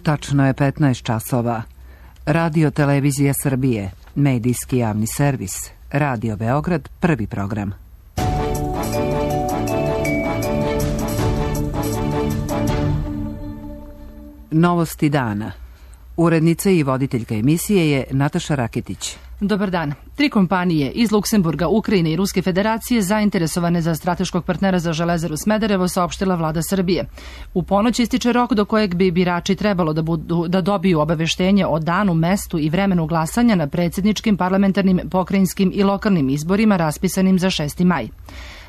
Tačno je 15 časova. Radio Televizija Srbije, medijski javni servis, Radio Beograd, prvi program. Novosti dana. Urednica i voditeljka emisije je Nataša Raketić. Dobar dan. 3 kompanije iz Luksemburga, Ukrajine i Ruske federacije zainteresovane za strateškog partnera za Železaru Smederevo saopštila vlada Srbije. U ponoć ističe rok do kojeg bi birači trebalo da dobiju obaveštenje o danu, mestu i vremenu glasanja na predsjedničkim, parlamentarnim, pokrajinskim i lokalnim izborima raspisanim za 6. maj.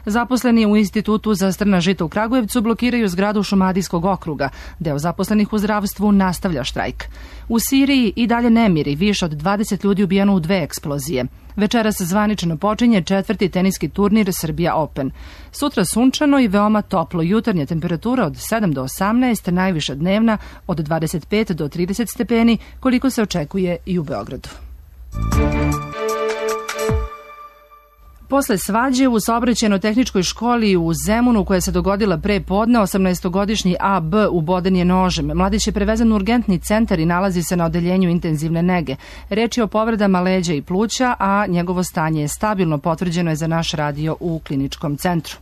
Zaposleni u Institutu za strna žita u Kragujevcu blokiraju zgradu Šumadijskog okruga. Deo zaposlenih u zdravstvu nastavlja štrajk. U Siriji i dalje nemiri, više od 20 ljudi ubijeno u 2 eksplozije. Večeras zvanično počinje 4. teniski turnir Srbija Open. Sutra sunčano i veoma toplo, jutarnja temperatura od 7 do 18, najviša dnevna od 25 do 30 stepeni, koliko se očekuje i u Beogradu. Posle svađe u saobraćajno-tehničkoj školi u Zemunu koja se dogodila pre podne, 18-godišnji AB uboden je nožem. Mladić je prevezen u urgentni centar i nalazi se na odeljenju intenzivne nege. Reč je o povredama leđa i pluća, a njegovo stanje je stabilno, potvrđeno je za naš radio u kliničkom centru.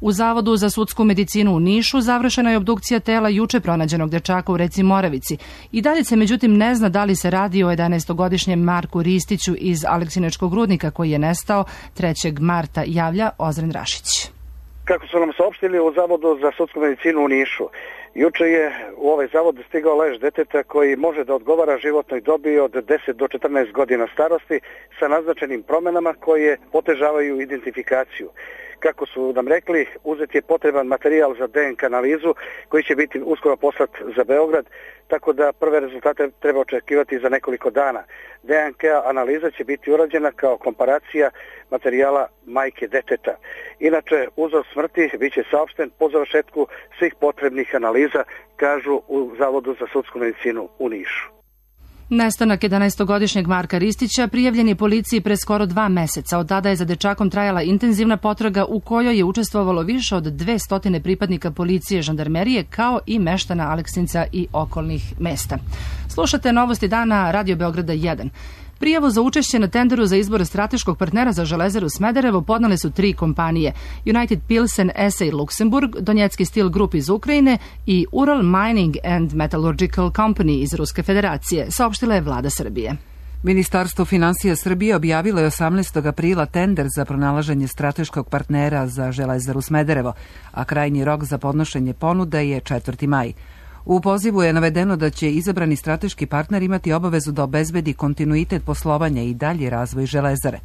U Zavodu za sudsku medicinu u Nišu završena je obdukcija tela juče pronađenog dečaka u reci Moravici. I dalje se međutim ne zna da li se radi o 11-godišnjem Marku Ristiću iz Aleksinačkog rudnika koji je nestao 3. marta, javlja Ozren Rašić. Kako su nam saopštili u Zavodu za sudsku medicinu u Nišu, juče je u ovaj zavod stigao lež deteta koji može da odgovara životnoj dobi od 10 do 14 godina starosti sa naznačenim promenama koje otežavaju identifikaciju. Kako su nam rekli, uzet je potreban materijal za DNK analizu koji će biti uskoro poslat za Beograd, tako da prve rezultate treba očekivati za nekoliko dana. DNK analiza će biti urađena kao komparacija materijala majke deteta. Inače, uzrok smrti biće saopšten po završetku svih potrebnih analiza, kažu u Zavodu za sudsku medicinu u Nišu. Nestanak 11-godišnjeg Marka Ristića prijavljen je policiji pre skoro 2 meseca. Od tada je za dečakom trajala intenzivna potraga u kojoj je učestvovalo više od 200 pripadnika policije, žandarmerije, kao i meštana Aleksinca i okolnih mesta. Slušate Novosti dana Radio Beograda 1. Prijavu za učešće na tenderu za izbor strateškog partnera za Železaru Smederevo podnale su 3 kompanije: United Pilsen SA Luksemburg, Donjecki Steel Group iz Ukrajine i Ural Mining and Metallurgical Company iz Ruske federacije, saopštila je vlada Srbije. Ministarstvo finansija Srbije objavilo je 18. aprila tender za pronalaženje strateškog partnera za Železaru Smederevo, a krajnji rok za podnošenje ponuda je 4. maj. U pozivu je navedeno da će izabrani strateški partner imati obavezu da obezbedi kontinuitet poslovanja i dalji razvoj Železare.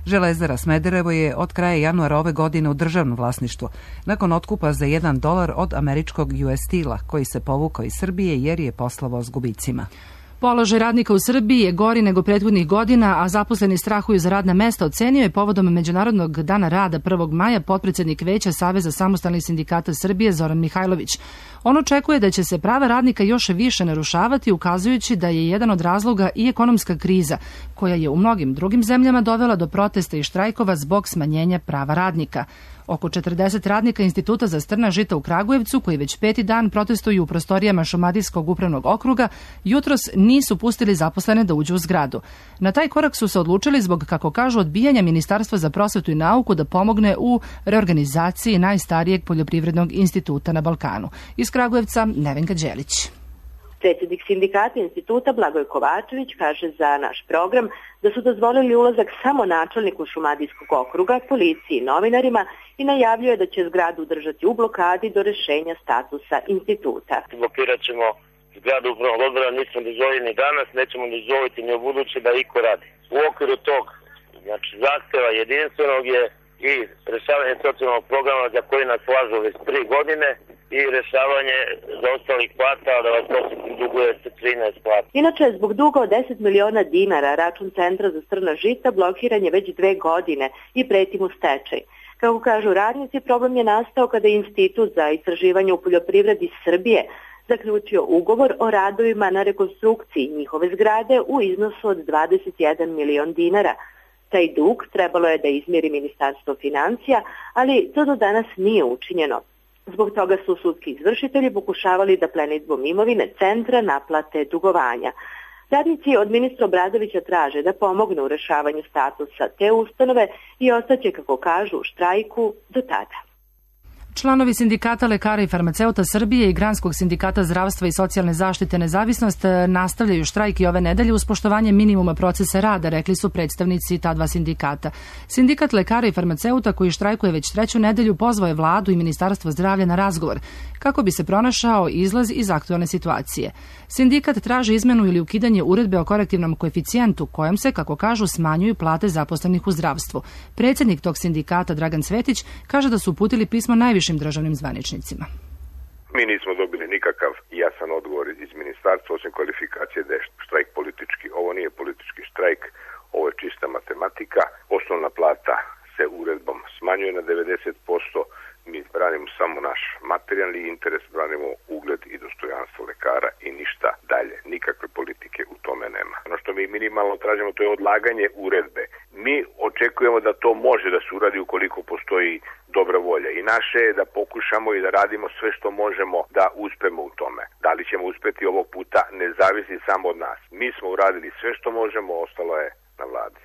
Železara Smederevo je od kraja januara ove godine u državnom vlasništvu, nakon otkupa za $1 od američkog US Steel-a, koji se povukao iz Srbije jer je poslovao s gubicima. Položaj radnika u Srbiji je gori nego prethodnih godina, a zaposleni strahuju za radna mesta, ocenio je povodom Međunarodnog dana rada 1. maja potpredsednik Veća Saveza samostalnih sindikata Srbije Zoran Mihajlović. On očekuje da će se prava radnika još više narušavati, ukazujući da je jedan od razloga i ekonomska kriza, koja je u mnogim drugim zemljama dovela do protesta i štrajkova zbog smanjenja prava radnika. Oko 40 radnika Instituta za strna žita u Kragujevcu, koji već 5. dan protestuju u prostorijama Šumadijskog upravnog okruga, jutros nisu pustili zaposlene da uđu u zgradu. Na taj korak su se odlučili zbog, kako kažu, odbijanja Ministarstva za prosvetu i nauku da pomogne u reorganizaciji najstarijeg poljoprivrednog instituta na Balkanu. Iz Kragujevca, Nevenka Đelić. Predsjednik sindikata instituta Blagoje Kovačević kaže za naš program da su dozvolili ulazak samo načelniku Šumadijskog okruga, policiji i novinarima i najavljuje da će zgradu držati u blokadi do rešenja statusa instituta. Blokirat ćemo zgradu upravnog odbora, nismo dozvolili ni danas, nećemo dozvoliti ni u buduće da iko radi. U okviru tog zahteva jedinstvenog je i rešavanje socijalnog programa za koji nas slažu već 3 godine i rešavanje zaostalih plata, da vas posjetim, duguje se 13 plata. Inače, zbog duga od 10 miliona dinara račun Centra za strna žita blokiran je već 2 godine i preti mu stečaj. Kako kažu radnici, problem je nastao kada je Institut za istraživanje u poljoprivredi Srbije zaključio ugovor o radovima na rekonstrukciji njihove zgrade u iznosu od 21 milion dinara. Taj dug trebalo je da izmiri Ministarstvo financija, ali to do danas nije učinjeno. Zbog toga su sudski izvršitelji pokušavali da plenidbom imovine centra naplate dugovanja. Radnici od ministra Obradovića traže da pomognu u rešavanju statusa te ustanove i ostaće, kako kažu, u štrajku do tada. Članovi Sindikata lekara i farmaceuta Srbije i Granskog sindikata zdravstva i socijalne zaštite Nezavisnost nastavljaju štrajk i ove nedelje uz poštovanje minimuma procesa rada, rekli su predstavnici ta dva sindikata. Sindikat lekara i farmaceuta, koji štrajkuje već treću nedelju, pozvao je vladu i Ministarstvo zdravlja na razgovor kako bi se pronašao izlaz iz aktualne situacije. Sindikat traži izmenu ili ukidanje uredbe o korektivnom koeficijentu kojom se, kako kažu, smanjuju plate zaposlenih u zdravstvu. Predsjednik tog sindikata, Dragan Cvetić, kaže da su uputili pismo najvišim državnim zvaničnicima. Mi nismo dobili nikakav jasan odgovor iz ministarstva, osim kvalifikacije da je štrajk politički. Ovo nije politički štrajk, ovo je čista matematika. Osnovna plata se uredbom smanjuje na 90%. Mi branimo samo naš materijalni interes, branimo ugled i dostojanstvo lekara i ništa dalje. Nikakve politike u tome nema. Ono što mi minimalno tražimo, to je odlaganje uredbe. Mi očekujemo da to može da se uradi ukoliko postoji dobra volja. I naše je da pokušamo i da radimo sve što možemo da uspemo u tome. Da li ćemo uspeti ovog puta ne zavisi samo od nas. Mi smo uradili sve što možemo, ostalo je na vladi.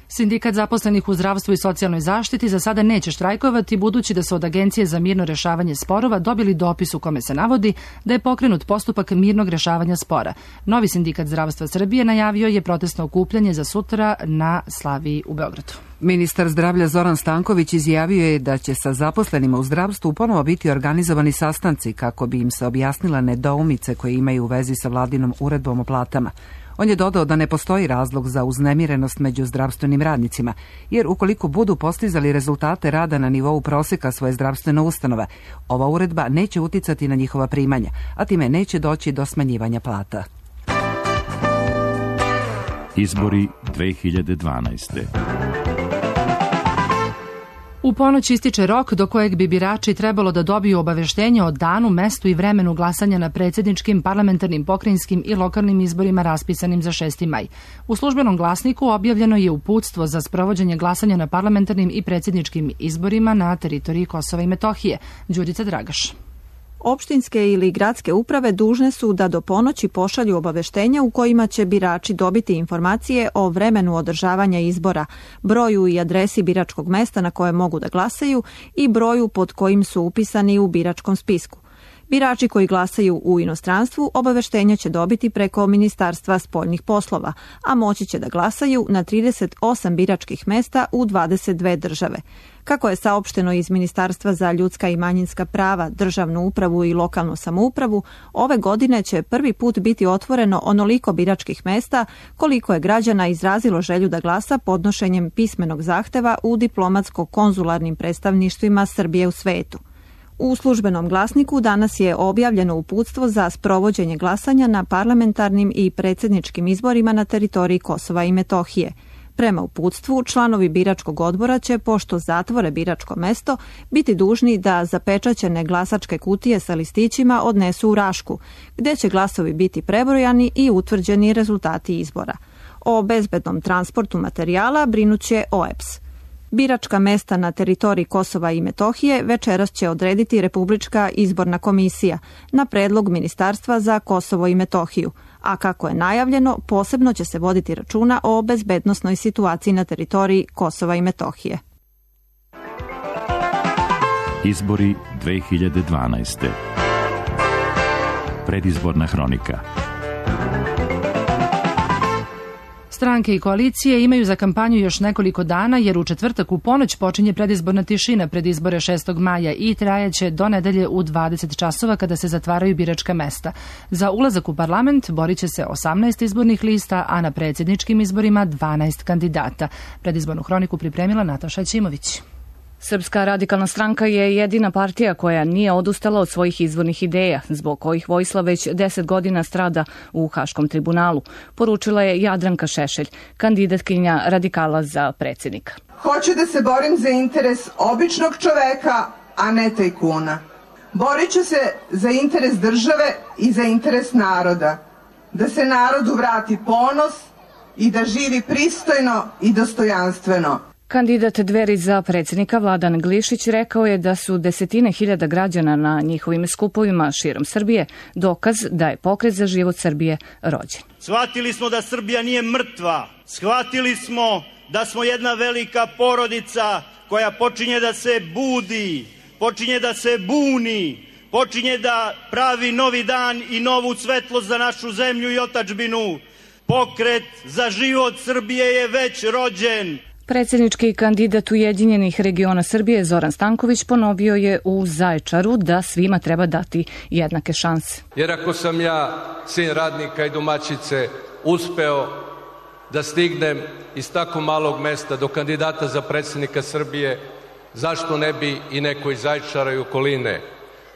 Sindikat zaposlenih u zdravstvu i socijalnoj zaštiti za sada neće štrajkovati, budući da su od Agencije za mirno rešavanje sporova dobili dopis u kome se navodi da je pokrenut postupak mirnog rešavanja spora. Novi sindikat zdravstva Srbije najavio je protestno okupljanje za sutra na Slaviji u Beogradu. Ministar zdravlja Zoran Stanković izjavio je da će sa zaposlenima u zdravstvu ponovo biti organizovani sastanci kako bi im se objasnila nedoumice koje imaju u vezi sa vladinom uredbom o platama. On je dodao da ne postoji razlog za uznemirenost među zdravstvenim radnicima, jer ukoliko budu postizali rezultate rada na nivou proseka svoje zdravstvene ustanove, ova uredba neće uticati na njihova primanja, a time neće doći do smanjivanja plata. Izbori 2012. U ponoć ističe rok do kojeg bi birači trebalo da dobiju obaveštenje o danu, mestu i vremenu glasanja na predsjedničkim, parlamentarnim, pokrajinskim i lokalnim izborima raspisanim za 6. maj. U službenom glasniku objavljeno je uputstvo za sprovođenje glasanja na parlamentarnim i predsjedničkim izborima na teritoriji Kosova i Metohije. Đurica Dragaš. Opštinske ili gradske uprave dužne su da do ponoći pošalju obaveštenja u kojima će birači dobiti informacije o vremenu održavanja izbora, broju i adresi biračkog mesta na koje mogu da glasaju i broju pod kojim su upisani u biračkom spisku. Birači koji glasaju u inostranstvu obaveštenja će dobiti preko Ministarstva spoljnih poslova, a moći će da glasaju na 38 biračkih mesta u 22 države. Kako je saopšteno iz Ministarstva za ljudska i manjinska prava, državnu upravu i lokalnu samoupravu, ove godine će prvi put biti otvoreno onoliko biračkih mesta koliko je građana izrazilo želju da glasa podnošenjem pismenog zahteva u diplomatsko-konzularnim predstavništvima Srbije u svetu. U službenom glasniku danas je objavljeno uputstvo za sprovođenje glasanja na parlamentarnim i predsjedničkim izborima na teritoriji Kosova i Metohije. Prema uputstvu, članovi biračkog odbora će, pošto zatvore biračko mesto, biti dužni da zapečaćene glasačke kutije sa listićima odnesu u Rašku, gde će glasovi biti prebrojani i utvrđeni rezultati izbora. O bezbednom transportu materijala brinuće OEBS. Biračka mesta na teritoriji Kosova i Metohije večeras će odrediti Republička izborna komisija na predlog Ministarstva za Kosovo i Metohiju, a kako je najavljeno, posebno će se voditi računa o bezbednosnoj situaciji na teritoriji Kosova i Metohije. Izbori 2012. Predizborna hronika. Stranke i koalicije imaju za kampanju još nekoliko dana, jer u četvrtak u ponoć počinje predizborna tišina pred izbore 6. maja i trajaće do nedelje u 20 časova kada se zatvaraju biračka mesta. Za ulazak u parlament borit će se 18 izbornih lista, a na predsjedničkim izborima 12 kandidata. Predizbornu hroniku pripremila Nataša Ćimović. Srpska radikalna stranka je jedina partija koja nije odustala od svojih izvornih ideja, zbog kojih Vojislav već 10 godina strada u Haškom tribunalu, poručila je Jadranka Šešelj, kandidatkinja radikala za predsjednika. Hoću da se borim za interes običnog čoveka, a ne tajkuna. Borit ću se za interes države i za interes naroda. Da se narodu vrati ponos i da živi pristojno i dostojanstveno. Kandidat Dveri za predsjednika Vladan Glišić rekao je da su desetine hiljada građana na njihovim skupovima širom Srbije dokaz da je Pokret za život Srbije rođen. Shvatili smo da Srbija nije mrtva, shvatili smo da smo jedna velika porodica koja počinje da se budi, počinje da se buni, počinje da pravi novi dan i novu svetlost za našu zemlju i otadžbinu. Pokret za život Srbije je već rođen. Predsjednički kandidat Ujedinjenih regiona Srbije Zoran Stanković ponovio je u Zaječaru da svima treba dati jednake šanse. Jer ako sam ja, sin radnika i domaćice, uspeo da stignem iz tako malog mesta do kandidata za predsjednika Srbije, zašto ne bi i neko iz Zaječara i okoline?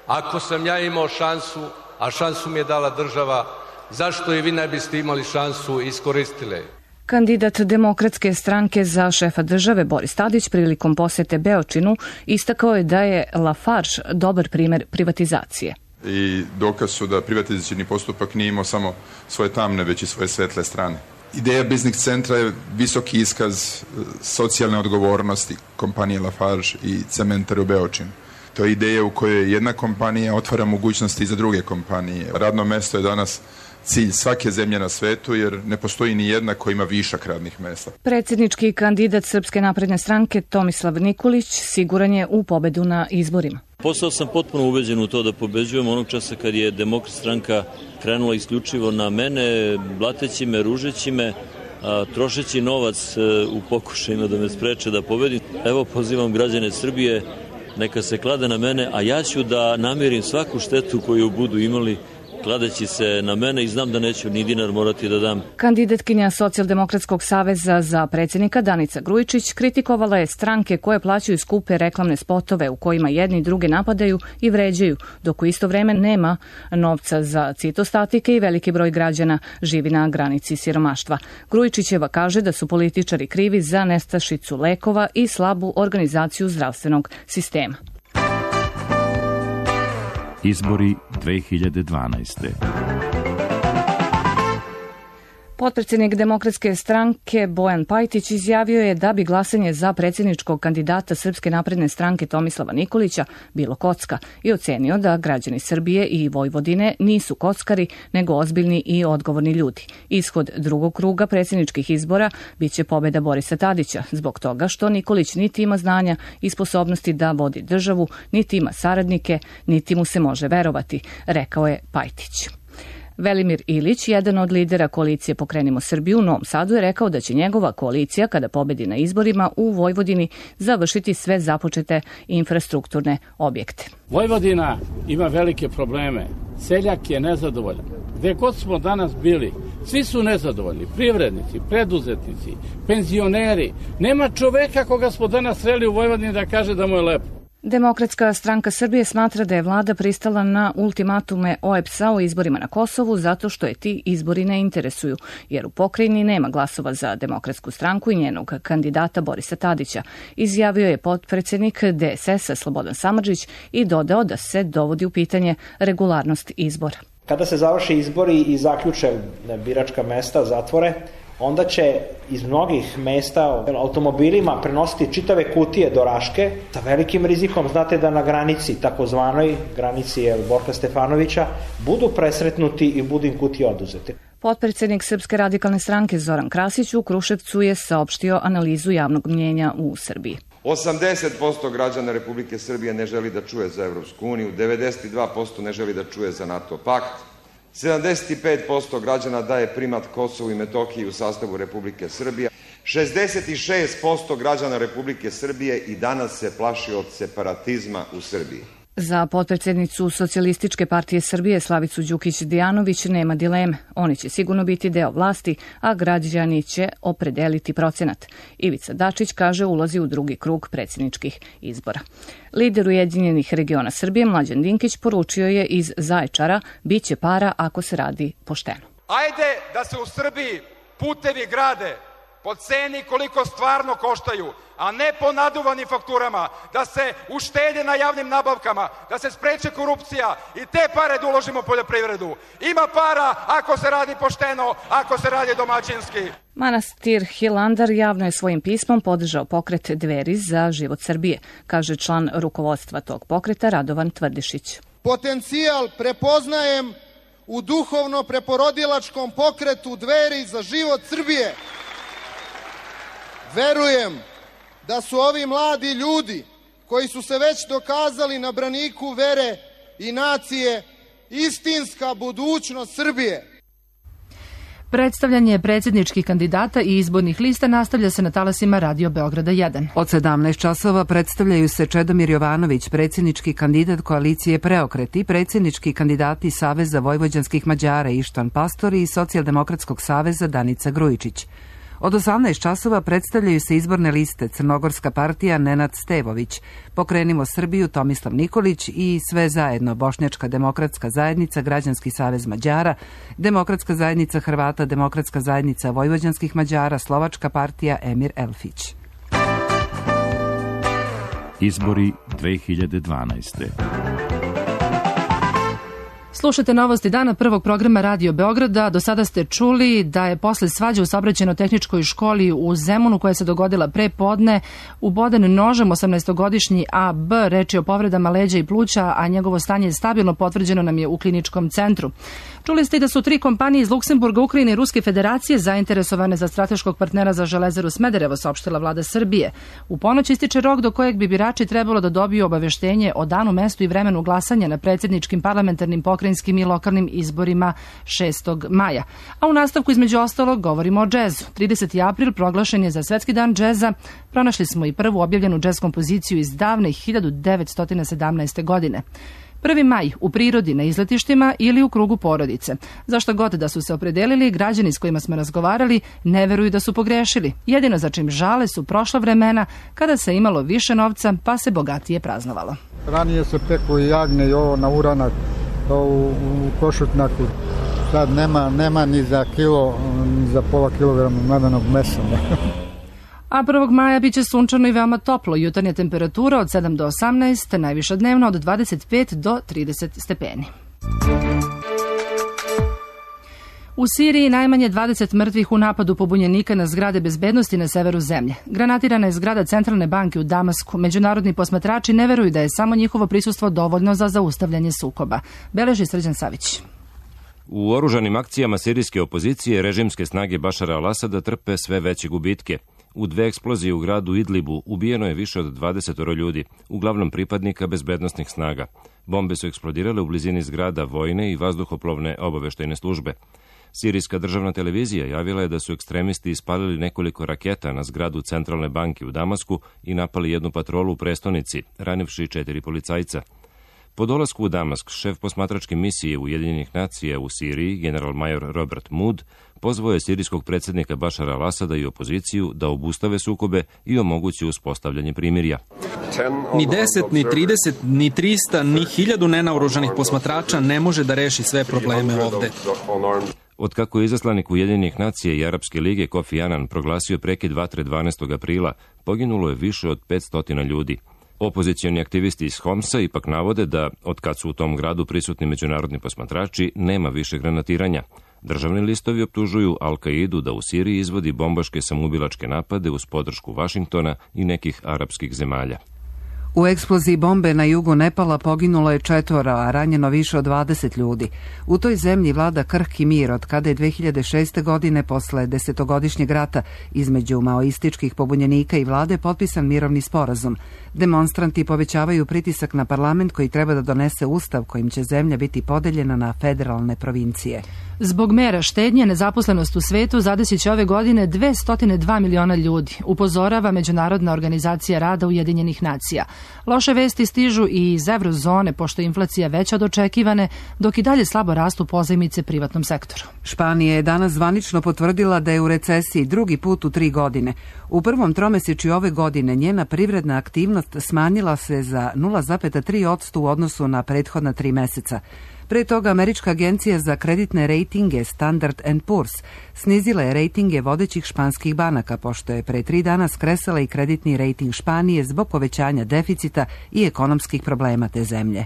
Ako sam ja imao šansu, a šansu mi je dala država, zašto i vi ne biste imali šansu i iskoristile? Kandidat Demokratske stranke za šefa države Boris Tadić prilikom posete Beočinu istakao je da je Lafarge dobar primjer privatizacije. I dokaz su da privatizacioni postupak nije imao samo svoje tamne, već i svoje svetle strane. Ideja biznis centra je visoki iskaz socijalne odgovornosti kompanije Lafarge i cementare u Beočinu. To je ideja u kojoj jedna kompanija otvara mogućnosti za druge kompanije. Radno mesto je danas cilj svake zemlje na svetu, jer ne postoji ni jedna koja ima višak radnih mesta. Predsjednički kandidat Srpske napredne stranke Tomislav Nikolić siguran je u pobedu na izborima. Postao sam potpuno ubeđen u to da pobeđujem onog časa kad je Demokratska stranka krenula isključivo na mene, blateći me, ružeći me, trošeći novac u pokušajima da me spreče da pobedim. Evo, pozivam građane Srbije, neka se klade na mene, a ja ću da namirim svaku štetu koju budu imali kladeći se na mene i znam da neću ni dinar morati da dam. Kandidatkinja Socijaldemokratskog saveza za predsjednika Danica Grujičić kritikovala je stranke koje plaćaju skupe reklamne spotove u kojima jedni druge napadaju i vređaju, dok u isto vreme nema novca za citostatike i veliki broj građana živi na granici siromaštva. Grujičićeva kaže da su političari krivi za nestašicu lekova i slabu organizaciju zdravstvenog sistema. Izbori 2012. Potpredsjednik Demokratske stranke Bojan Pajtić izjavio je da bi glasanje za predsjedničkog kandidata Srpske napredne stranke Tomislava Nikolića bilo kocka i ocenio da građani Srbije i Vojvodine nisu kockari, nego ozbiljni i odgovorni ljudi. Ishod drugog kruga predsjedničkih izbora biće pobjeda Borisa Tadića, zbog toga što Nikolić niti ima znanja i sposobnosti da vodi državu, niti ima saradnike, niti mu se može verovati, rekao je Pajtić. Velimir Ilić, jedan od lidera koalicije Pokrenimo Srbiju u Novom Sadu, je rekao da će njegova koalicija, kada pobedi na izborima u Vojvodini, završiti sve započete infrastrukturne objekte. Vojvodina ima velike probleme. Seljak je nezadovoljan. Gde god smo danas bili, svi su nezadovoljni. Privrednici, preduzetnici, penzioneri. Nema čoveka koga smo danas sreli u Vojvodini da kaže da mu je lepo. Demokratska stranka Srbije smatra da je vlada pristala na ultimatume OEBS-a o izborima na Kosovu zato što je ti izbori ne interesuju, jer u pokrajini nema glasova za Demokratsku stranku i njenog kandidata Borisa Tadića, izjavio je potpredsjednik DSS-a Slobodan Samardžić i dodao da se dovodi u pitanje regularnost izbora. Kada se završe izbori i zaključe biračka mesta, zatvore, onda će iz mnogih mesta automobilima prenositi čitave kutije do Raške sa velikim rizikom. Znate da na granici, takozvanoj granici Borka Stefanovića, budu presretnuti i budu im kutije oduzete. Potpredsjednik Srpske radikalne stranke Zoran Krasić u Kruševcu je saopštio analizu javnog mnjenja u Srbiji. 80% građana Republike Srbije ne želi da čuje za Evropsku uniju, 92% ne želi da čuje za NATO pakt, 75% građana daje primat Kosovu i Metohiji u sastavu Republike Srbije. 66% građana Republike Srbije i danas se plaši od separatizma u Srbiji. Za potpredsjednicu Socijalističke partije Srbije Slavicu Đukić-Dijanović nema dileme. Oni će sigurno biti deo vlasti, a građani će opredeliti procenat. Ivica Dačić kaže ulazi u drugi krug predsjedničkih izbora. Lider Ujedinjenih regiona Srbije Mlađan Dinkić poručio je iz Zaječara biće para ako se radi pošteno. Ajde da se u Srbiji putevi grade po ceni koliko stvarno koštaju, a ne po naduvanim fakturama, da se uštede na javnim nabavkama, da se spreče korupcija i te pare da uložimo u poljoprivredu. Ima para ako se radi pošteno, ako se radi domaćinski. Manastir Hilandar javno je svojim pismom podržao pokret Dveri za život Srbije, kaže član rukovodstva tog pokreta Radovan Tvrdišić. Potencijal prepoznajem u duhovno preporodilačkom pokretu Dveri za život Srbije. Verujem da su ovi mladi ljudi koji su se već dokazali na braniku vere i nacije istinska budućnost Srbije. Predstavljanje predsjedničkih kandidata i izbornih lista nastavlja se na talasima Radio Beograda 1. Od 17 časova predstavljaju se Čedomir Jovanović, predsjednički kandidat koalicije Preokret i predsjednički kandidati Saveza vojvođanskih Mađara Ištvan Pastori i Socijaldemokratskog saveza Danica Grujičić. Od 18 časova predstavljaju se izborne liste Crnogorska partija Nenad Stevović, Pokrenimo Srbiju Tomislav Nikolić i Sve zajedno Bošnjačka demokratska zajednica Građanski savez Mađara, Demokratska zajednica Hrvata, Demokratska zajednica vojvođanskih Mađara, Slovačka partija Emir Elfić. Izbori 2012. Slušajte novosti dana prvog programa Radio Beograda. Do sada ste čuli da je posle svađe u saobraćajno-tehničkoj školi u Zemunu koja se dogodila pre podne uboden nožem 18-godišnji AB, reč je o povredama leđa i pluća, a njegovo stanje je stabilno, potvrđeno nam je u kliničkom centru. Čuli ste i da su 3 kompanije iz Luksemburga, Ukrajine i Ruske federacije zainteresovane za strateškog partnera za Železaru Smederevo, saopštila vlada Srbije. U ponoć ističe rok do kojeg bi birači trebalo da dobiju obaveštenje o danu, mestu i vremenu glasanja na predsjedničkim, parlamentarnim, pokrajinskim i lokalnim izborima 6. maja. A u nastavku između ostalog govorimo o džezu. 30. april proglašen je za Svetski dan džeza. Pronašli smo i prvu objavljenu džez kompoziciju iz davne 1917. godine. 1. maj u prirodi, na izletištima ili u krugu porodice. Zašto god da su se opredelili, građani s kojima smo razgovarali ne veruju da su pogrešili. Jedino za čim žale su prošla vremena kada se imalo više novca pa se bogatije praznovalo. Ranije se peku i jagne i ovo na uranak, u košutnjaku. Sad nema ni za kilo, ni za pola kilograma mledenog mesa. A 1. maja biće sunčano i veoma toplo. Jutarnja temperatura od 7 do 18, najviša dnevna od 25 do 30 stepeni. U Siriji najmanje 20 mrtvih u napadu pobunjenika na zgrade bezbednosti na severu zemlje. Granatirana je zgrada Centralne banke u Damasku. Međunarodni posmatrači ne veruju da je samo njihovo prisustvo dovoljno za zaustavljanje sukoba. Beleži Srđan Savić. U oružanim akcijama sirijske opozicije režimske snage Bašara al-Asada trpe sve veće gubitke. U 2 eksplozije u gradu Idlibu ubijeno je više od 20 ljudi, uglavnom pripadnika bezbednosnih snaga. Bombe su eksplodirale u blizini zgrada vojne i vazduhoplovne obaveštajne službe. Sirijska državna televizija javila je da su ekstremisti ispalili nekoliko raketa na zgradu Centralne banke u Damasku i napali jednu patrolu u prestonici, ranivši 4 policajca. Po dolasku u Damask, šef posmatračke misije Ujedinjenih nacija u Siriji, general-major Robert Mood, pozvao je sirijskog predsjednika Bašara al-Asada i opoziciju da obustave sukobe i omogući uspostavljanje primirja. Ni 10, ni 30, ni 300, ni 1000 nenaoružanih posmatrača ne može da reši sve probleme ovde. Otkako je izaslanik Ujedinjenih nacija i Arapske lige Kofi Annan proglasio prekid vatre 12. aprila, poginulo je više od 500 ljudi. Opozicioni aktivisti iz Homsa ipak navode da, otkad su u tom gradu prisutni međunarodni posmatrači, nema više granatiranja. Državni listovi optužuju Al-Kaidu da u Siriji izvodi bombaške samoubilačke napade uz podršku Vašingtona i nekih arapskih zemalja. U eksploziji bombe na jugu Nepala poginulo je 4, a ranjeno više od 20 ljudi. U toj zemlji vlada krhki mir od kada je 2006. godine posle 10-godišnjeg rata između maoističkih pobunjenika i vlade potpisan mirovni sporazum. Demonstranti povećavaju pritisak na parlament koji treba da donese ustav kojim će zemlja biti podeljena na federalne provincije. Zbog mera štednje, nezaposlenost u svetu zadesit će ove godine 202 miliona ljudi, upozorava Međunarodna organizacija rada Ujedinjenih nacija. Loše vesti stižu i iz eurozone, pošto je inflacija veća od očekivane, dok i dalje slabo rastu pozajmice privatnom sektoru. Španija je danas zvanično potvrdila da je u recesiji drugi put u 3 godine. U prvom tromesečju ove godine njena privredna aktivnost rentabilitnost smanjila se za 0,3% u odnosu na prethodna 3 meseca. Pre toga Američka agencija za kreditne rejtinge Standard & Poor's snizila je rejtinge vodećih španskih banaka, pošto je pre 3 dana skresala i kreditni rejting Španije zbog povećanja deficita i ekonomskih problema te zemlje.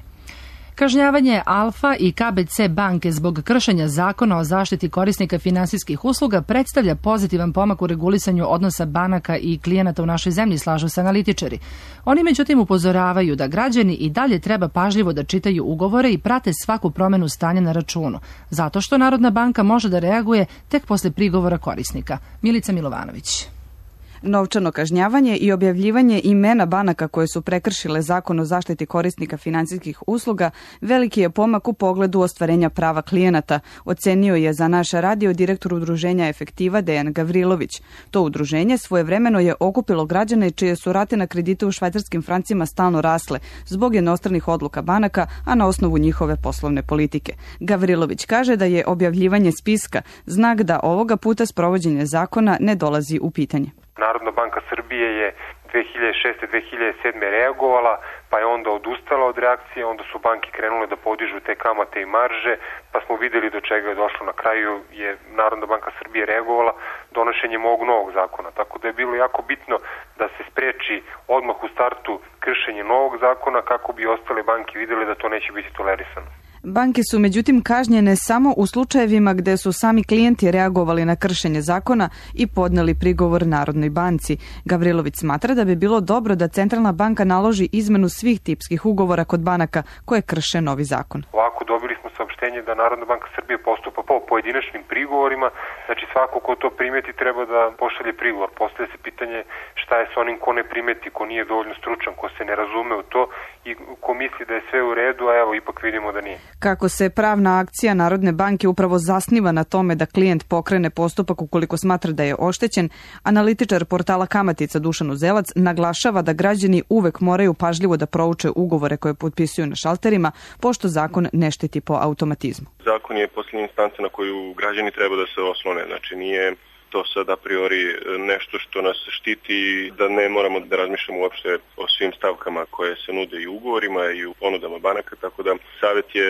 Kažnjavanje Alfa i KBC banke zbog kršenja zakona o zaštiti korisnika finansijskih usluga predstavlja pozitivan pomak u regulisanju odnosa banaka i klijenata u našoj zemlji, slažu se analitičari. Oni međutim upozoravaju da građani i dalje treba pažljivo da čitaju ugovore i prate svaku promenu stanja na računu, zato što Narodna banka može da reaguje tek posle prigovora korisnika. Milica Milovanović. Novčano kažnjavanje i objavljivanje imena banaka koje su prekršile zakon o zaštiti korisnika finansijskih usluga veliki je pomak u pogledu ostvarenja prava klijenata, ocenio je za naš radio direktor udruženja Efektiva Dejan Gavrilović. To udruženje svojevremeno je okupilo građane čije su rate na kredite u švajcarskim francima stalno rasle zbog jednostranih odluka banaka, a na osnovu njihove poslovne politike. Gavrilović kaže da je objavljivanje spiska znak da ovoga puta sprovođenje zakona ne dolazi u pitanje. Narodna banka Srbije je 2006-2007 reagovala, pa je onda odustala od reakcije, onda su banke krenule da podižu te kamate i marže, pa smo videli do čega je došlo. Na kraju je Narodna banka Srbije reagovala donošenjem ovog novog zakona, tako da je bilo jako bitno da se spreči odmah u startu kršenje novog zakona kako bi ostale banke vidjeli da to neće biti tolerisano. Banke su međutim kažnjene samo u slučajevima gde su sami klijenti reagovali na kršenje zakona i podneli prigovor Narodnoj banci. Gavrilović smatra da bi bilo dobro da Centralna banka naloži izmenu svih tipskih ugovora kod banaka koje krše novi zakon. Ovako dobili smo saopštenje da Narodna banka Srbije postupa po pojedinačnim prigovorima, znači svako ko to primeti treba da pošalje prigovor. Postavlja se pitanje šta je sa onim ko ne primeti, ko nije dovoljno stručan, ko se ne razume u to i ko misli da je sve u redu, a evo ipak vidimo da nije. Kako se pravna akcija Narodne banke upravo zasniva na tome da klijent pokrene postupak ukoliko smatra da je oštećen, analitičar portala Kamatica Dušan Uzelac naglašava da građani uvek moraju pažljivo da prouče ugovore koje potpisuju na šalterima, pošto zakon ne šteti po automatizmu. Zakon je posljednja instanca na koju građani treba da se oslone, znači nije to sad a priori nešto što nas štiti, da ne moramo da razmišljamo uopšte o svim stavkama koje se nude i u ugovorima i u ponudama banaka, tako da savjet je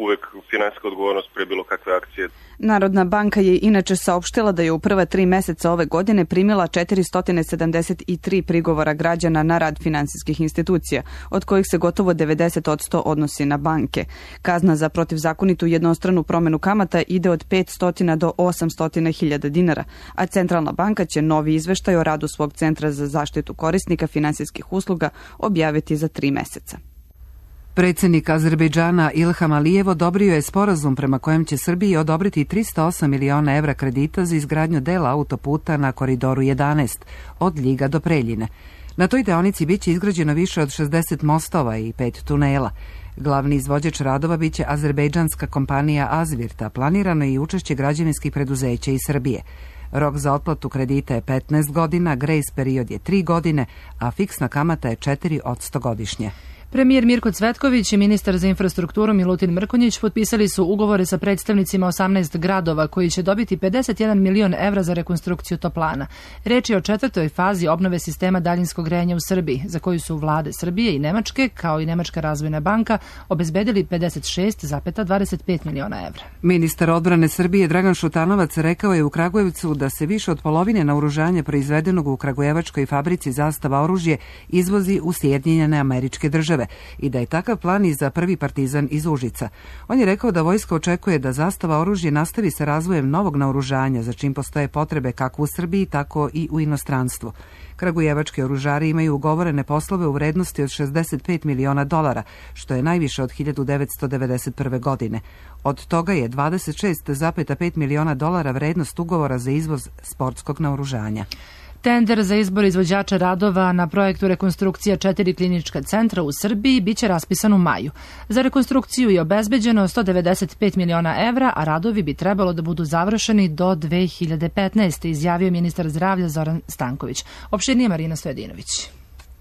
uvek finansijska odgovornost pre bilo kakve akcije. Narodna banka je inače saopštila da je u prva 3 meseca ove godine primila 473 prigovora građana na rad finansijskih institucija, od kojih se gotovo 90% odnosi na banke. Kazna za protivzakonitu jednostranu promenu kamata ide od 500 do 800.000 dinara, a Centralna banka će novi izveštaj o radu svog centra za zaštitu korisnika finansijskih usluga objaviti za 3 meseca. Predsjednik Azerbejdžana Ilham Alijev odobrio je sporazum prema kojem će Srbiji odobriti 308 miliona evra kredita za izgradnju dela autoputa na Koridoru 11 od Ljiga do Preljine. Na toj deonici biće izgrađeno više od 60 mostova i 5 tunela. Glavni izvođač radova biće azerbejdžanska kompanija Azvirta, planirano je i učešće građevinskih preduzeća iz Srbije. Rok za otplatu kredita je 15 godina, grace period je 3 godine, a fiksna kamata je 4% godišnje. Premijer Mirko Cvetković i ministar za infrastrukturu Milutin Mrkonjić potpisali su ugovore sa predstavnicima 18 gradova koji će dobiti 51 milion evra za rekonstrukciju toplana. Reč je o 4. fazi obnove sistema daljinskog grejanja u Srbiji, za koju su vlade Srbije i Nemačke, kao i Nemačka razvojna banka, obezbedili 56,25 miliona evra. Ministar odbrane Srbije Dragan Šutanovac rekao je u Kragujevcu da se više od polovine naoružanja proizvedenog u kragujevačkoj fabrici Zastava oružje izvozi u Sjedinjene Američke Države i da je takav plan i za prvi partizan iz Užica. On je rekao da vojska očekuje da Zastava oružje nastavi sa razvojem novog naoružanja, za čim postoje potrebe kako u Srbiji, tako i u inostranstvu. Kragujevački oružari imaju ugovorene poslove u vrednosti od $65 miliona, što je najviše od 1991. godine. Od toga je $26,5 miliona vrednost ugovora za izvoz sportskog naoružanja. Tender za izbor izvođača radova na projektu rekonstrukcija 4 klinička centra u Srbiji biće raspisan u maju. Za rekonstrukciju je obezbeđeno 195 miliona evra, a radovi bi trebalo da budu završeni do 2015. izjavio ministar zdravlja Zoran Stanković. Opširnije Marina Stojadinović.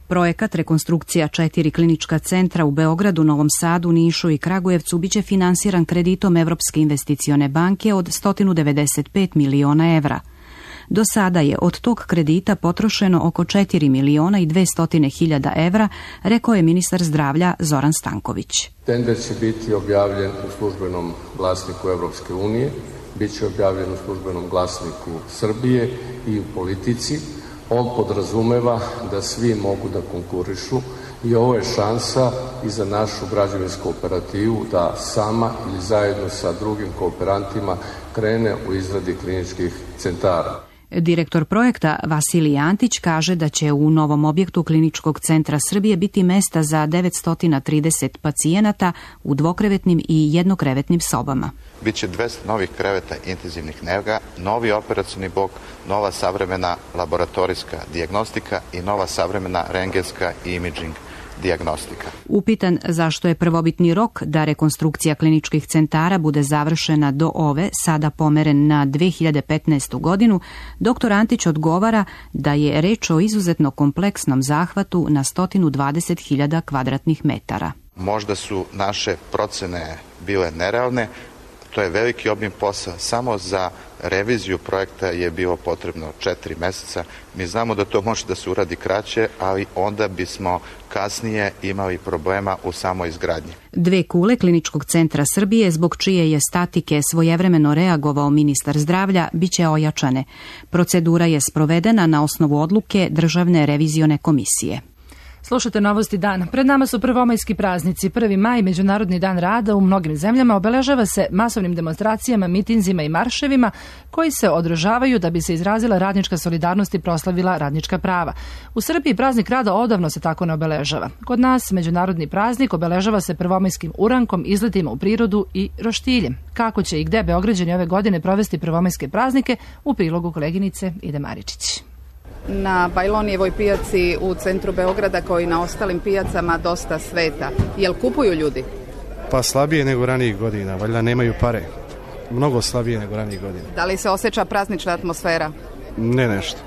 Projekat rekonstrukcija 4 klinička centra u Beogradu, Novom Sadu, Nišu i Kragujevcu biće finansiran kreditom Evropske investicione banke od 195 miliona evra. Do sada je od tog kredita potrošeno oko 4.200.000 evra, rekao je ministar zdravlja Zoran Stanković. Tender će biti objavljen u službenom glasniku Evropske unije, bit će objavljen u službenom glasniku Srbije i u Politici. On podrazumeva da svi mogu da konkurišu i ovo je šansa i za našu građevinsku operativu da sama ili zajedno sa drugim kooperantima krene u izradi kliničkih centara. Direktor projekta Vasilij Antić kaže da će u novom objektu Kliničkog centra Srbije biti mesta za 930 pacijenata u dvokrevetnim i jednokrevetnim sobama. Biće 200 novih kreveta intenzivnih nega, novi operacioni blok, nova savremena laboratorijska dijagnostika i nova savremena rentgenska i imaging dijagnostika. Upitan zašto je prvobitni rok da rekonstrukcija kliničkih centara bude završena do ove, sada pomeren na 2015. godinu, dr. Antić odgovara da je reč o izuzetno kompleksnom zahvatu na 120.000 kvadratnih metara. Možda su naše procene bile nerealne, to je veliki obim posla. Samo za reviziju projekta je bilo potrebno 4 meseca. Mi znamo da to može da se uradi kraće, ali onda bismo kasnije imali problema u samoj izgradnji. 2 kule Kliničkog centra Srbije, zbog čije je statike svojevremeno reagovao ministar zdravlja, biće ojačane. Procedura je sprovedena na osnovu odluke Državne revizione komisije. Slušajte Novosti dana. Pred nama su prvomajski praznici. 1. maj, Međunarodni dan rada, u mnogim zemljama obeležava se masovnim demonstracijama, mitinzima i marševima koji se održavaju da bi se izrazila radnička solidarnost i proslavila radnička prava. U Srbiji praznik rada odavno se tako ne obeležava. Kod nas međunarodni praznik obeležava se prvomajskim urankom, izletima u prirodu i roštiljem. Kako će i gde Beograđani ove godine provesti prvomajske praznike, u prilogu koleginice Ide Maričić. Na Bajlonijevoj pijaci u centru Beograda, kao i na ostalim pijacama, dosta sveta. Jel kupuju ljudi? Pa slabije nego ranijih godina, valjda nemaju pare. Mnogo slabije nego ranijih godina. Da li se osjeća praznična atmosfera? Ne nešto.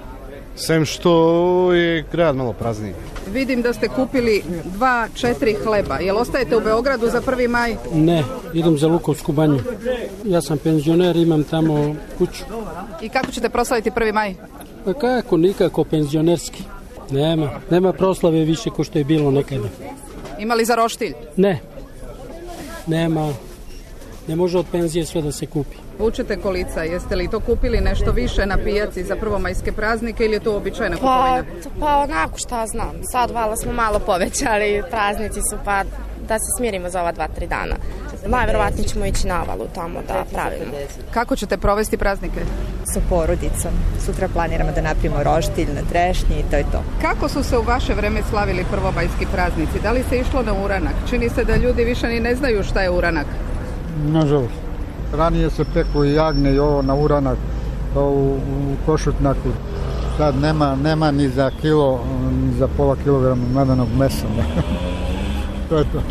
Sem što je grad malo prazniji. Vidim da ste kupili 2-4 hleba. Jel ostajete u Beogradu za 1. maj? Ne, idem za Lukovsku banju. Ja sam penzioner, imam tamo kuću. I kako ćete proslaviti 1. maj? Pa kako, nikako penzionerski. Nema proslave više ko što je bilo nekada. Ima li za roštilj? Ne. Nema. Ne može od penzije sve da se kupi. Vučete kolica, jeste li to kupili nešto više na pijaci za prvomajske praznike ili je to uobičajena kupovina? Pa onako šta znam. Sad vala smo malo povećali, praznici su pa da se smirimo za ova 2-3 dana. Najverovatnije ćemo ići na Avalu tamo da pravimo. Kako ćete provesti praznike? Sa porodicom. Sutra planiramo da napravimo roštilj na trešnji i to je to. Kako su se u vaše vreme slavili prvomajski praznici? Da li se išlo na uranak? Čini se da ljudi više ni ne znaju šta je uranak. Nažalost. Ranije se peku i jagnje i ovo na uranak u košutnjaku. Sad nema ni za kilo, ni za pola kilograma medenog mesa. To je to.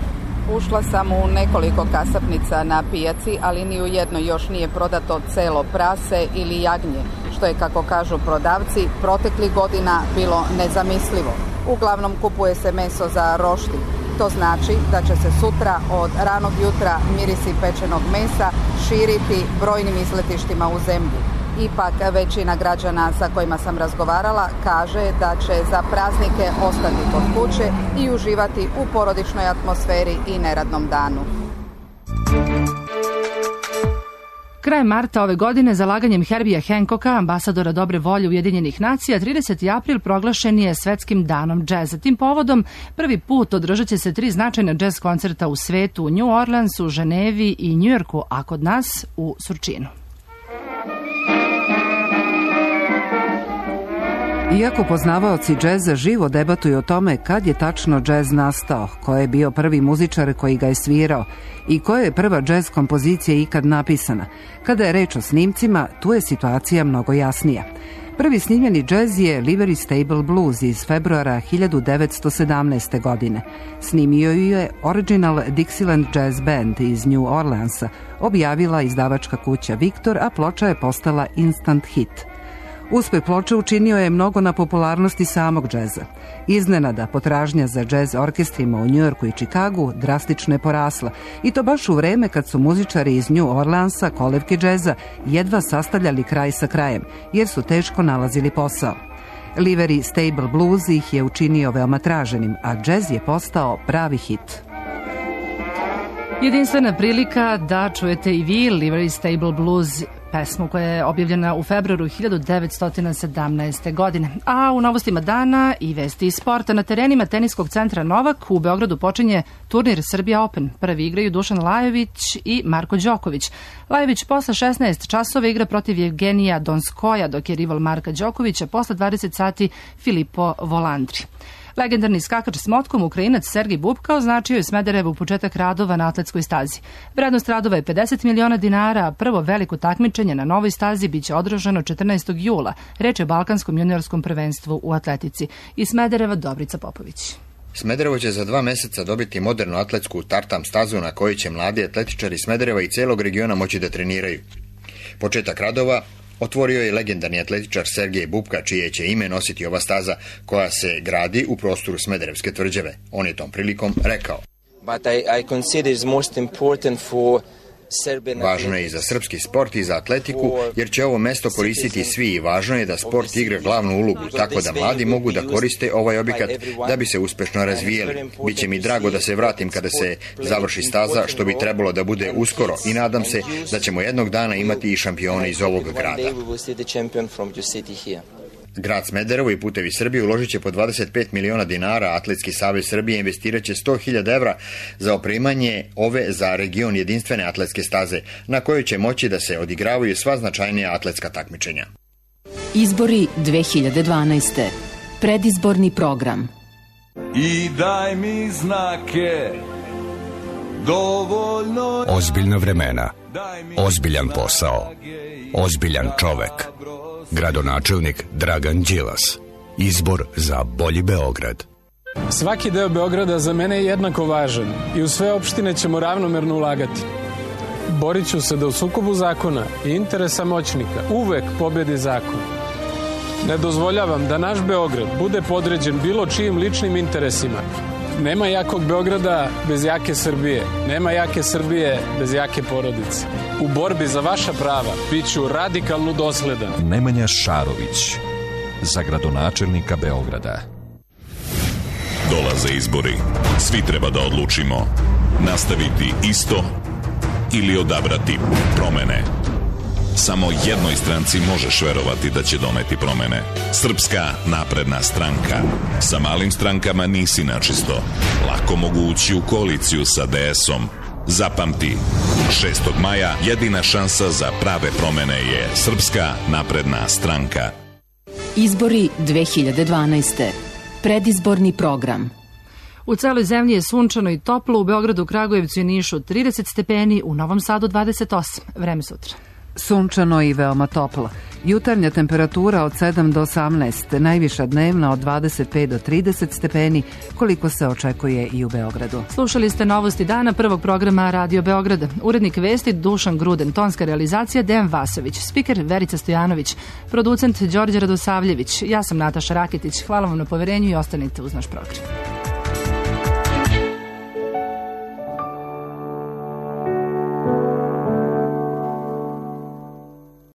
Ušla sam u nekoliko kasapnica na pijaci, ali ni u jednoj još nije prodato celo prase ili jagnje, što je, kako kažu prodavci, proteklih godina bilo nezamislivo. Uglavnom kupuje se meso za roštilj. To znači da će se sutra od ranog jutra mirisi pečenog mesa širiti brojnim izletištima u zemlji. Ipak većina građana sa kojima sam razgovarala kaže da će za praznike ostati kod kuće i uživati u porodičnoj atmosferi i neradnom danu. Krajem marta ove godine, zalaganjem Herbija Hancocka, ambasadora dobre volje Ujedinjenih nacija, 30. april proglašen je Svetskim danom džeza. Tim povodom prvi put održat će se 3 značajna džez koncerta u svetu, u New Orleansu, Ženevi i Njujorku, a kod nas u Surčinu. Iako poznavaoci džeza živo debatuju o tome kad je tačno džez nastao, ko je bio prvi muzičar koji ga je svirao i koja je prva džez kompozicija ikad napisana, kada je reč o snimcima, tu je situacija mnogo jasnija. Prvi snimljeni džez je Livery Stable Blues iz februara 1917. godine. Snimio ju je Original Dixieland Jazz Band iz New Orleansa, objavila izdavačka kuća Victor, a ploča je postala instant hit. Uspeh ploče učinio je mnogo na popularnosti samog džeza. Iznenada, potražnja za džez orkestrima u Njujorku i Čikagu drastično je porasla, i to baš u vreme kad su muzičari iz New Orleansa, kolevke džeza, jedva sastavljali kraj sa krajem, jer su teško nalazili posao. Livery Stable Blues ih je učinio veoma traženim, a džez je postao pravi hit. Jedinstvena prilika da čujete i vi Livery Stable Blues, pesmu koja je objavljena u februaru 1917. godine. A u novostima dana i vesti iz sporta. Na terenima teniskog centra Novak u Beogradu počinje turnir Srbija Open. Prvi igraju Dušan Lajović i Marko Đoković. Lajović posle 16 časova igra protiv Evgenija Donskoja, dok je rival Marka Đokovića posle 20 sati Filippo Volandri. Legendarni skakač s motkom, Ukrajinac Sergej Bubka, označio je Smederevu početak radova na atletskoj stazi. Vrednost radova je 50 miliona dinara, a prvo veliko takmičenje na novoj stazi biće održano 14. jula, reč je Balkanskom juniorskom prvenstvu u atletici. Iz Smedereva Dobrica Popović. Smederevo će za 2 meseca dobiti modernu atletsku tartam stazu na kojoj će mladi atletičari Smedereva i celog regiona moći da treniraju. Početak radova otvorio je legendarni atletičar Sergej Bubka, čije će ime nositi ova staza koja se gradi u prostoru Smederevske tvrđave. On je tom prilikom rekao: Važno je i za srpski sport i za atletiku, jer će ovo mesto koristiti svi i važno je da sport igra glavnu ulogu, tako da mladi mogu da koriste ovaj objekat da bi se uspešno razvijeli. Biće mi drago da se vratim kada se završi staza, što bi trebalo da bude uskoro, i nadam se da ćemo jednog dana imati i šampione iz ovog grada. Grad Smederevo i Putevi Srbije uložit će po 25 miliona dinara, a Atletski savez Srbije investirat će 100.000 evra za opremanje ove za region jedinstvene atletske staze, na kojoj će moći da se odigravaju sva značajnija atletska takmičenja. Izbori 2012. Predizborni program. I daj mi znake, dovoljno... Ozbiljna vremena, ozbiljan posao, ozbiljan čovek. Gradonačelnik Dragan Đilas. Izbor za bolji Beograd. Svaki deo Beograda za mene je jednako važan i u sve opštine ćemo ravnomerno ulagati. Borit ću se da u sukobu zakona i interesa moćnika uvek pobedi zakon. Ne dozvoljavam da naš Beograd bude podređen bilo čijim ličnim interesima. Nema jakog Beograda bez jake Srbije. Nema jake Srbije bez jake porodice. U borbi za vaša prava bit ću radikalno dosledan. Nemanja Šarović, za gradonačelnika Beograda. Dolaze izbori. Svi treba da odlučimo. Nastaviti isto ili odabrati promene. Samo jednoj stranci možeš verovati da će doneti promene. Srpska napredna stranka. Sa malim strankama nisi načisto. Lako mogu ući u koaliciju sa DS-om. Zapamti, 6. maja jedina šansa za prave promene je Srpska napredna stranka. Izbori 2012. Predizborni program. U celoj zemlji je sunčano i toplo, u Beogradu, Kragujevcu i Nišu 30 stepeni, u Novom Sadu 28. Vreme sutra. Sunčano i veoma toplo. Jutarnja temperatura od 7 do 18, najviša dnevna od 25 do 30 stepeni, koliko se očekuje i u Beogradu. Slušali ste novosti dana prvog programa Radio Beograda. Urednik vesti Dušan Gruden, tonska realizacija Dejan Vasović, spiker Verica Stojanović, producent Đorđe Radosavljević. Ja sam Nataša Raketić. Hvala vam na poverenju i ostanite uz naš program.